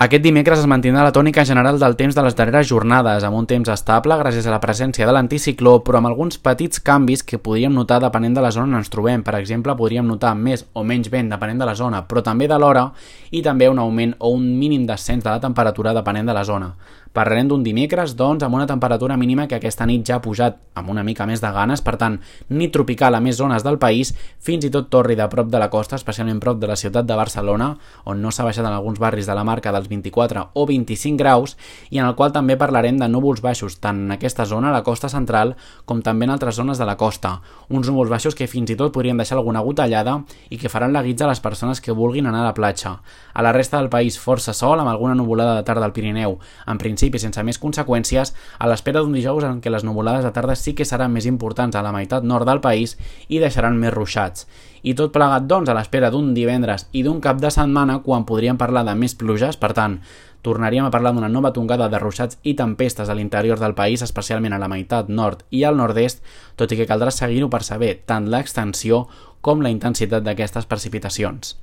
Aquest dimecres es mantindrà la tònica general del temps de les darreres jornades, amb un temps estable gràcies a la presència de l'anticicló, però amb alguns petits canvis que podríem notar depenent de la zona on ens trobem. Per exemple, podríem notar més o menys vent depenent de la zona, però també de l'hora, i també un augment o un mínim descens de la temperatura depenent de la zona. Parlarem d'un dimecres, doncs, amb una temperatura mínima que aquesta nit ja ha pujat amb una mica més de ganes, per tant, nit tropical a més zones del país, fins i tot torri de prop de la costa, especialment prop de la ciutat de Barcelona, on no s'ha baixat en alguns barris de la marca dels 24 o 25 graus, i en el qual també parlarem de núvols baixos, tant en aquesta zona, la costa central, com també en altres zones de la costa. Uns núvols baixos que fins i tot podrien deixar alguna gotellada i que faran la guitza a les persones que vulguin anar a la platja. A la resta del país força sol, amb alguna nuvolada de tarda al Pirineu, en principi sense més conseqüències, a l'espera d'un dijous en què les nuvolades de tarda sí que seran més importants a la meitat nord del país i deixaran més ruixats. I tot plegat, doncs, a l'espera d'un divendres i d'un cap de setmana quan podríem parlar de més pluges, per tant, tornaríem a parlar d'una nova tongada de ruixats i tempestes a l'interior del país, especialment a la meitat nord i al nord-est, tot i que caldrà seguir-ho per saber tant l'extensió com la intensitat d'aquestes precipitacions.